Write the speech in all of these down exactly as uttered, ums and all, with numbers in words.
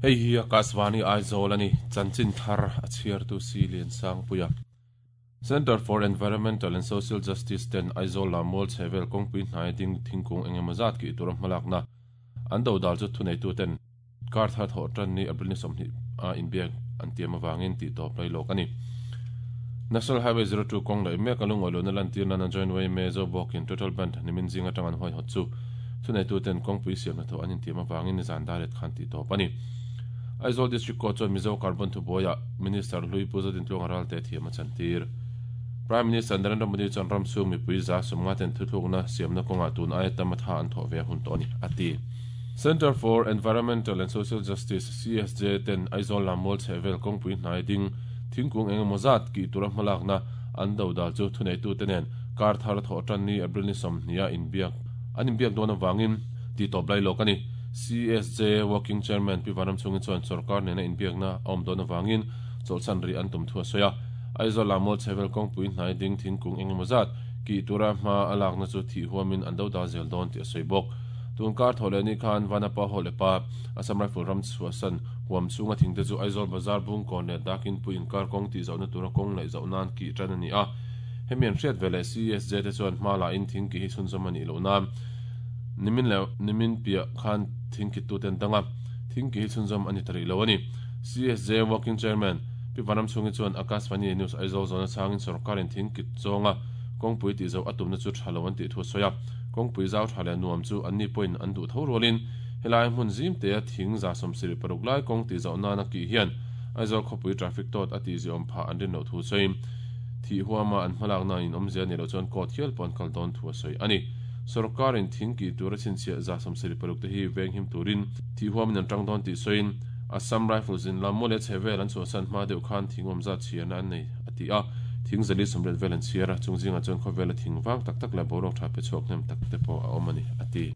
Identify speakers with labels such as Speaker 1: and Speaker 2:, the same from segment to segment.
Speaker 1: Hei hi Akashvani Aizawl ani chanchin thar a chhiar tu si lian sang puia. Center for Environmental and Social Justice ten Aizawl Lammual chhehvel kawngpui hnai ding thingkung engemaw zat kih tur a hmalak na an do dal chu thunei tu ten kar thar thawh tan ni April ni sawmhnih a inbiak an tiam awangin tih tawp lai lawk ani. National Highway zero two kawng laih mek a lungawi lohna lantir nan a joint way me zo bawkin total band nimin zing atang an huai hawt chu thunei tu ten kawngpui siam hnathawh an intiam awangin nizan daret khan tih tawp ani. Aizawl District Court chuan Mizo Carbon thubuaia Minister Hlui Pu Zodintluanga ralte thiam a chantir. Prime Minister Narendra Modi chuan ram chhung mipui za sawmnga ten thuthlukna siamna kawngah tun aia tam a tha an thawh ve hun tawh a ni, a ti. Centre for Environmental and Social Justice, C S J, ten Aizawl Lammual chhehvel kawngpui hnai ding thingkung engemaw zat kih tura hmalakna an do dal chu thuneitute nen kar thar thawh tan ni April ni sawmhnih a inbiak an inbiak dawn avangin tih tawp lai lawk a ni. C S J Working Chairman Pi Vanram chungin chuan sarkar nena inbiakna a awm dawn avangin chawlhsan ri an tum thu a sawi a. Aizawl Lammual chhehvel kawngpui hnai ding thingkung engemaw zat kih tura hma a lakna chu thih huamin an do dal zel dawn tih a sawi bawk. Tun kar thaw leh ni khan Vanapa Hall lepa Assam Rifle ram chhuahsan huam chhunga thingte chu Aizawl Bazar bungkawn leh dakin pui inkar kawng tih zohna tura kawng laih zoh nan kih tan a ni a. Hemi an hriat ve leh C S J te chuan hma la in thing kih hi chhunzawm a nih loh nan nimin leh nimin piah khan thing kit tu ten danga thing kih hi chhunzawm a ni ta rih lo a ni. C S J Working Chairman Pi Vanram chhungin chuan Akashvani News Aizawl zawna changin sarkarin thing kit zawnga kawngpui tih zo a tumna chu tha lo an tih thu a sawi a. Kawngpui zau tha leh nuam chu an ni pawhin an duh tho rualin helai hmun zim te a thing za sawmsirih paruk lai kawng tih zoh nan a kih hian Aizawl khawpui traffic tawt a tih ziawm phah an rin loh thu sawiin thih huama an hmalakna in awmzia ni loh chuan court hial pawh an kal dawn thu a sawi a ni. Sarkarin thing kih tur a chhinchhiah za sawmsirih paruk te hi veng him turin thih huamin an tang dawn tih sawiin Assam Rifles in Lammual leh chhehvel an chhuahsan hma deuh khan thing awm zat chhiarna an nei a ti a. Thing zali sawmriat vel an chhiar a, chung zingah chuan khawvela thing vang tak tak leh boruak tha pe chhuak hnem tak te pawh a awm a ni a ti.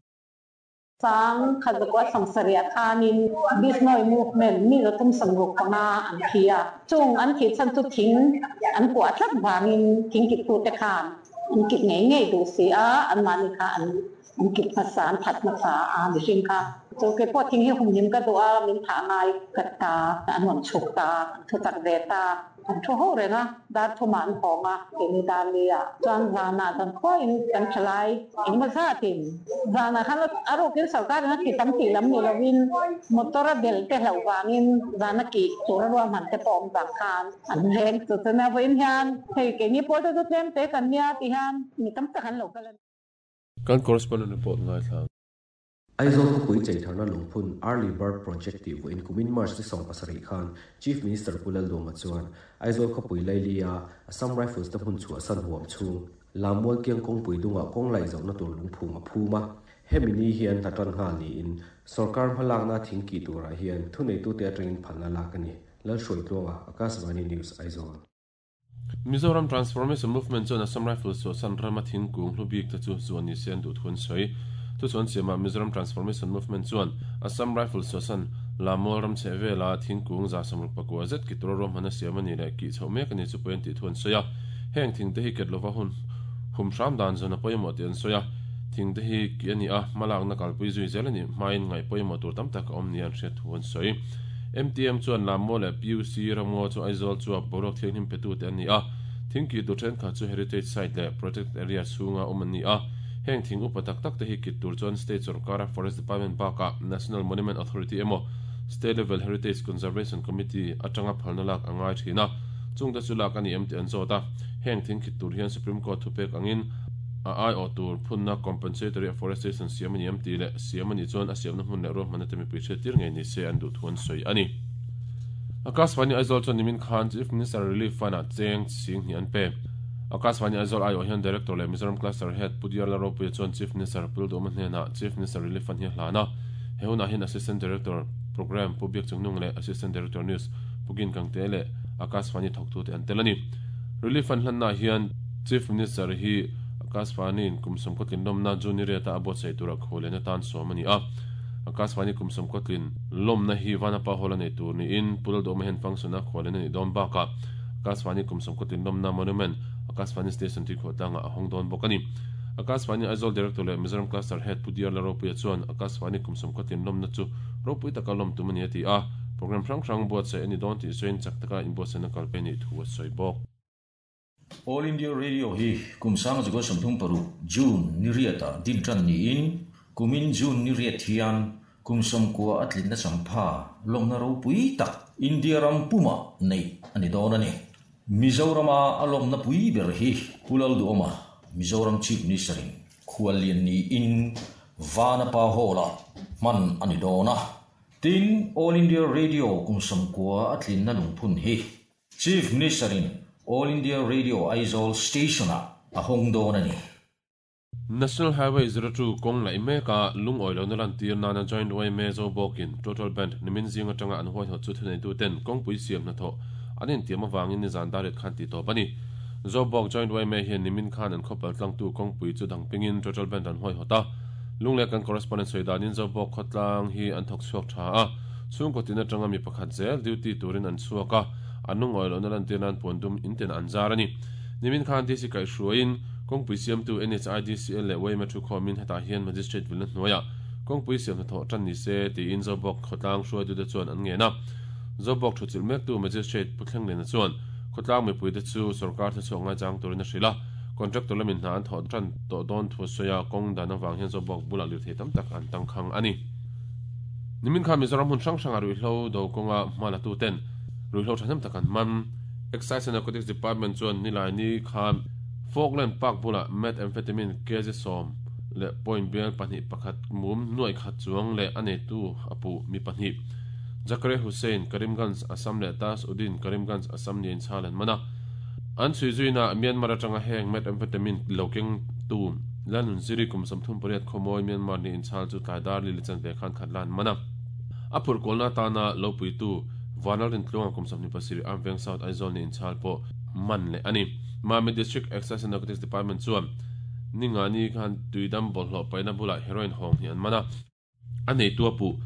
Speaker 2: Sang khat zakua sawmsarih khanin Bishnoi movement mi zathum sawmruk panga an thi a. Chung an thi chan chu thing an kuah tlat vangin thing kit tu te khan an kit ngei ngei duh si a, an mahni kha an an kit hmasa an that hmasa a mihring kha. Chu ke pawh thing hi humhim ka duh a, min thah ngai ka ta an rawn chhuk ta, an thu tak ve ta. An thu ho reng a, dar thuma an hawng a, keini dar li a. Chuan zanah zan khuain kan thalai engemaw zatin zanah khan a rukin sarkarin a ti tam tih lam ni lovin motor a bel te hlauh vangin zana kih tur a ruahman te pawh awm vang khan an leng chu chuan a vawiin hian hei keini pawl te chu tlem te kan nia ti hian mi tam tak an lo kal a ni.
Speaker 1: Kan correspondent report ngai thlang.
Speaker 3: Aizawl khawpui cheitharna lungphun Early Bird Project tih vawiin kumin March ni sawm pasarih khan Chief Minister Pu Lalduhoma chuan Aizawl khawpui Lailia Assam Rifles te hmun chhuahsan huam chhung Lammual kiang kawngpui dungah kawng laih zohna tur lungphum a phum a. Hemi ni hian hnatan nghal niin sarkar hmalakna thing kih turah hian thuneitute atangin phalna lak a ni. Lalhruaitluanga, Akashvani News, Aizawl.
Speaker 1: Mizoram Transformation Movement chuan Assam Rifles chhuahsan rama thingkung hlubik te chu zuan ni se an duh thu an sawi. Chu chuan siamah Mizoram Transformation Movement chuan Assam Rifles chhuahsan Lammual ram chhehvela thingkung za sawmruk pakua zet ki tura ruahman a siam a ni leh kih chhoh mek a ni chu pawi an tih thu an sawi a. Heng thing te hi ket lova hun hum hram dan zawn a pawimawh tih an sawi a. Thing te hi ki a ni a, hmalakna kalpui zui zel a ni hmain ngaih pawimawh tur tam tak a awm ni an hriat thu an sawi. M T M chuan Lammual leh P U C ramngaw chu Aizawl chuak boruak thianghlim petu te an ni a. Thing kih tur thenkhat chu heritage site leh protected area chhunga awm an ni a. Heng thing upa tak tak te hi kit tur chuan state sarkara Forest Department bakah National Monument Authority emaw State Level Heritage Conservation Committee atanga phalna lak a ngai thin a. Chung te chu lak a ni em tih an zawt a. Heng thing kit tur hian Supreme Court thupek angin a ai awh tur phunna compensatory afforestation siam a ni em tih leh siam a nih chuan a siamna hmun leh ruahmanna te mipui hriat tir ngei ni se an duh thu an sawi a ni. Akashvani Aizawl chuan nimin khan Chief Minister Relief Fund-ah cheng sing hnih an pe. Akashvani Aizawl ai awh hian Director leh Mizoram Cluster Head Pu Diar Lalropuia chuan Chief Minister Pu Lalduhoma hnenah Chief Minister Relief Fund hi a hlan a. He hunah hian Assistant Director Program Pu Biak Chungnung leh Assistant Director News Pu Gin Kangte leh Akashvani thawktute an tel a ni. Relief Fund hlanna hian Chief Minister hi Akashvani in kum sawmkawtlin lawmna June riata a buatsaih tura khualena tan sawm a ni a. Akashvani kum sawmkawtlin lawmna hi Vanapa Hall a nei tur niin Pu Lalduhoma hian function a khualena ni dawn bakah Akashvani kum sawmkawtlin lawmna monument Akashvani Station tui khuah tlangah a hawng dawn bawk a ni. Akashvani Aizawl Director leh Mizoram Cluster Head Pu Diar Laropuia chuan Akashvani kum sawm khatin lawmna chu ropui taka lawm tum a ni a ti a. Program hrang hrang buatsaih a ni dawn tih sawiin chak taka inbuatsaihna kalpei nih thu a sawi bawk.
Speaker 4: All India Radio hi kum sang zakua sawmthum paruk June ni riatah din tan niin kumin June ni riat hian kum sawmkua a tlinna champha lawmna ropui tak India ram puma neih a ni dawn a ni. Mizorama a lawmna pui ber hi Pu Lalduhoma, Mizoram Chief Minister in khuallian niin Vanapa Hall-ah hman a ni dawn a. Tin, All India Radio kum sawmkua a tlinna lungphun hi Chief Minister in All India Radio Aizawl Station-ah a hawng dawn a ni.
Speaker 1: National Highway zero two kawng laih meka lungawi lohna lantir nana Joint Y M A Zobawkin Total Band nimin zing atanga an huaihawt chu thuneituten kawngpui siam hnathawh an intiam avangin nizan dar riat khan tih tawp a ni. Zobawk Joint Y M A hian nimin khan an khawpal tlangtu kawngpui chu dangpingin Total Band an huaihawt a. Lunglei kan correspondent sawi danin Zobawk khawtlang hi an thawk chhuak tha a, chhungkaw tin atanga mi pakhat zel duty turin an chhuak a, an lungawi lohna lantir nan puan dum in ten an zar a ni. Nimin khan D C kaihhruaiin kawngpui siamtu N H I D C L leh Y M A thu khawmin hetah hian Magistrate vilna hnuaiah kawngpui siam hnathawh tan ni se tiin Zobawk khawtlang hruaitute chuan an ngen a. Zobawk thu chilh mektu Magistrate Pu Thlenglen chuan khawtlang mipuite chu sarkar te chhuak ngai chang turin a hrilh a. Contractor lamin hna an thawh tan tawh dawn thu sawi a kawng dan awang hian Zobawk bulah lirthei tam tak an tangkhang a ni. Nimin khan Mizoram hmun hrang hrang a ruihhlo do kawnga hma la tu ten ruihhlo thahnem tak an man. Excise and Narcotics Department chuan nilai ni khan Falkland Park bulah methamphetamine kg sawm leh point bial pahnih pakhat mum nuai khat chuang leh a neitu a pu mi pahnih Zakare Hussain, Karimganj, Assam leh Tas Udin, Karimganj, Assam niin chhal an mana. An chhui zuina Myanmar atanga heng methamphetamine lokeng tu lanun ziri kum sawmthum pariat khawmawi Myanmar ni inchhal chu tlai dar li lechan ve khan khat lan mana. A phur kawlna tana lo puitu Vanal rin tluanga kum sawmhnih pasarih Armveng South Aizawl ni inchhal pawh man leh ani. Mami District Excise and Narcotics Department chuan ninga ni khan tuidam bawlhhlawh paihna bulah heroin hawng hi an mana. A neitu a pu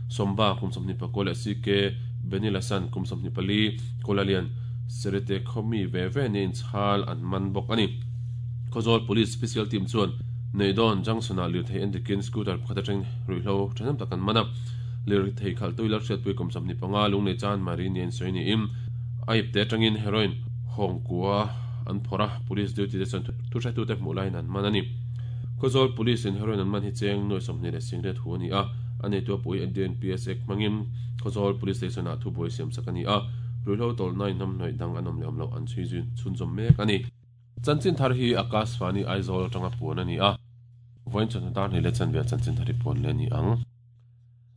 Speaker 1: Somba kum sawmhnih pakua leh C K Benilasan kum sawmhnih pali Kolalian Serete khawmi ve ve ni inchhal an man bawk ani. Khawzawl Police Special Team chuan Neidon Junction-ah lirthei endikin scooter pakhat atang ruihhlo thahnem tak an mana. Lirthei khalh tuilar hriatpui kum sawmhnih panga lunglei chan mari ni an sawi niin a ip te atangin heroin hawng kua an phawrh a. Police duty te chuan thu hretute hmuh laiin an man ani. Khawzawl Police in heroin an man hi cheng nuai sawmhnih leh singriat hu ani a. A neitu a pui N D P S Act hmangin Khawzawl Police Station ah thubuai siam sak ani a. Ruihhlo tawlhna inhnam hnawih dang an awm leh awm loh an chhui zui chhunzawm mek ani. Chanchin thar hi Akashvani Aizawl atanga puan ani a. Vawiin chawhnu dar hnih leh chanve chanchin thar hi puan leh ani ang.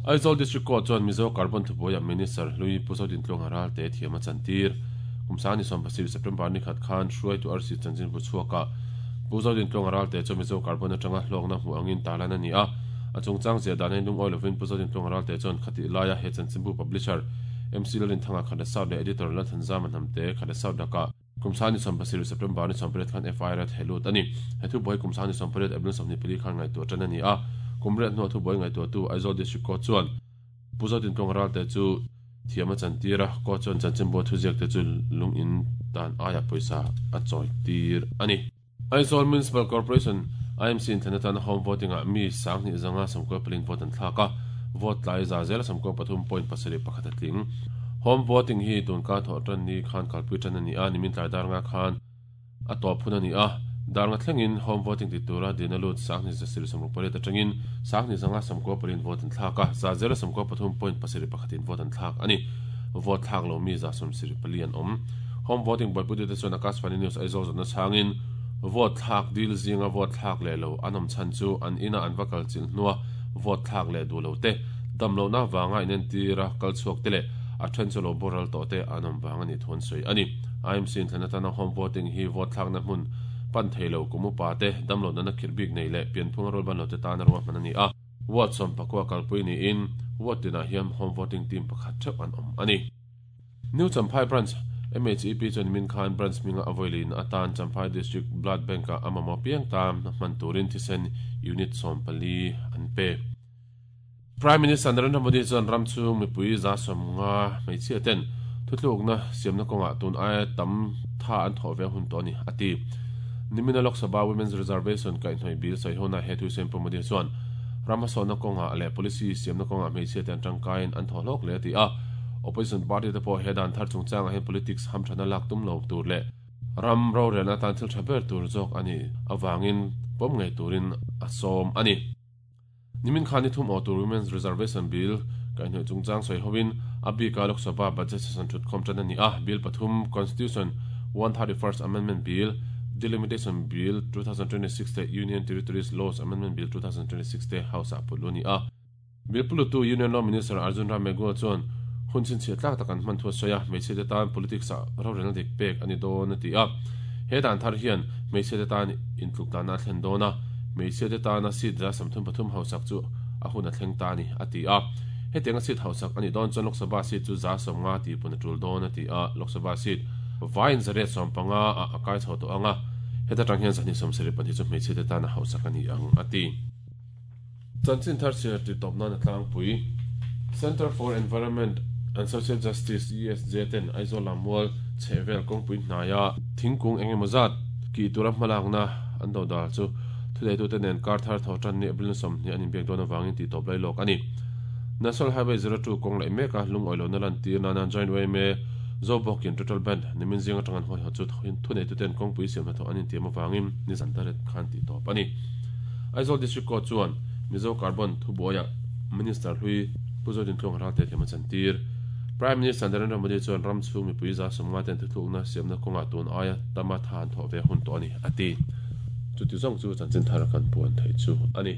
Speaker 1: Aizawl District Court chuan Mizo Carbon thubuaiah Minister Hlui Pu Zodintluanga Ralte thiam a chantir. Kum sangni sawm pasarih September ni khat khan hruaitu arsi chanchin bu chhuaka Pu Zodintluanga Ralte chu Mizo Carbon atanga hlawkna hmu angin tarlan ani a. A chungchang zia dan lung oil lovin Pu Zodintluanga Ralte chuan khati laia he chanchin bu publisher M C Lalrin thanga khada South leh editor Lalthan Zaman Hnamte khada South laka kum sangni sawm pasarih September ni sawm pariat khan F I R a thelut ani. He thu buai kum sangni sawm pariat April sawmhnih pali khan ngaihtuah tan ani a. Kum riat hnuah thu buai ngaihtuah tu Aizawl District Court chuan Pu Zodintluanga Ralte chu thiam a chantir a. Court chuan chanchin bu thu ziak te chu lung in dan aia pawisa a chawi tir ani. Aizawl Municipal Corporation I M C in thlana home voting ah mi sanghnih zanga sawmkua palin vote an thlak a. Vote tlai za zel sawmkua pathum point pasarih pakhat a tling. Home voting hi tun ka thawh tan ni khan kalpui tan ani a. Nimin tlai dar nga khan a tawp phun ani a. Dar nga thlengin home voting ti tura dina lut sanghnih za sir sawmruk pariat atangin sanghnih zanga sawmkua palin vote an thlak a. Za zel sawmkua pathum point pasarih pakhatin vote an thlak ani. Vote thlak lo mi za sawm sir pali an awm. Home voting buaipui te chuan Akashvani News Aizawl zawhna chhangin vote thlak dil zinga vote thlak leh lo an awm chhan chu an ina an vakal chil hnua vote thlak leh duh lo te, damlo na wanga inen tira kal chhuak te leh a then chu lo boral tawh te an awm wang ani thun sawi ani. I M C in thlana tana home voting hi vote thlak na hmun pan theilo kumu pa te, damlo na na khirbik nei leh pianphung rol ban lo te tan ruwa hman ani a. Ward sawm pakua kalpui ni in ward tinah hian home voting team pakhat theuh an awm ani. New Champhai Branch M H E P chuan min khan branch minga avoilin atan Champhai District Blood Bank a amamo piang tam hman turin thisen unit sawm pali an pe. Prime Minister Narendra Modi chuan ram chung mipui za sawm nga hmeichhia ten thuthlukna siamna kawnga tun aia tam tha an thawh ve hun tawh ani ati. Nimina Lok Sabha Women's Reservation kai hnoi bill sai hona he thu sem pomodi chuan ramasona konga le policy siamna konga hmeichhia te an tangkain an thaw hlawk le ti a opposition party te pawh hedan thar chungchang a hen politics hamthana lak tum lo tur le ram ro rena tan thil thaber tur zawk ani awangin pom ngei turin a sawm ani nimin khani thum o tur Women's Reservation Bill kai hnoi chungchang soi hovin abi ka Lok Sabha budget session thut khom tan ani a bill pathum Constitution one thirty-first Amendment Bill Delimitation Bill twenty twenty-six te Union Territories Laws Amendment Bill twenty twenty-six te House a puluni a bill pulutu Union Law Minister Arjun Ram Meghwal chuan hun chin che tlak takan man thu soya hmeichhe te tan politics a ro rena dik pek ani dawn ati a he dan thar hian hmeichhe te tan intluk dana thlen dawna hmeichhe te tana seat za samthum pathum hausak chu a hun a thleng ta ni ati a hetenga seat hausak ani dawn chuan Lok Sabha seat chu za sawmnga ti pun a tul dawn ati a Lok Sabha seat vain zare sawmpanga a akai chho to anga heta tang hian zani sawmsarih pahnih chu hmeichhe te tana hausak ani ang ati chanchin thar cher ti tawpna na tlangpui Center for Environment and Social Justice E S J ten Aizawl Lammual chhehvel kawngpui hnaia thingkung engemaw zat ki tura hmalakna an do dal chu thudeitu te nen kar thar tho tan ni April sawmhnih an inbiak dawn awangin tih tawp lai lawk ani National Highway zero two kawng laih meka lung awilo na lan tir nana joint way me Zobokin total band nimin zinga tangan hoi ho chu thuneitu ten kawngpui siam hnathawh an intiam awangin ni zantaret khan tih tawp ani Aizawl District Court chuan Mizo Carbon thubuaia Minister hlui Puzodin tlung ral te thiam a chantir Prime Minister Narendra Modi chuan ram chhung mipui za sawmnga ten thuthlukna siamna kawnga tun aia tama than thaw ve hun tawh ani ati chuti zawng chu chanchin thar kan puan thei chu ani.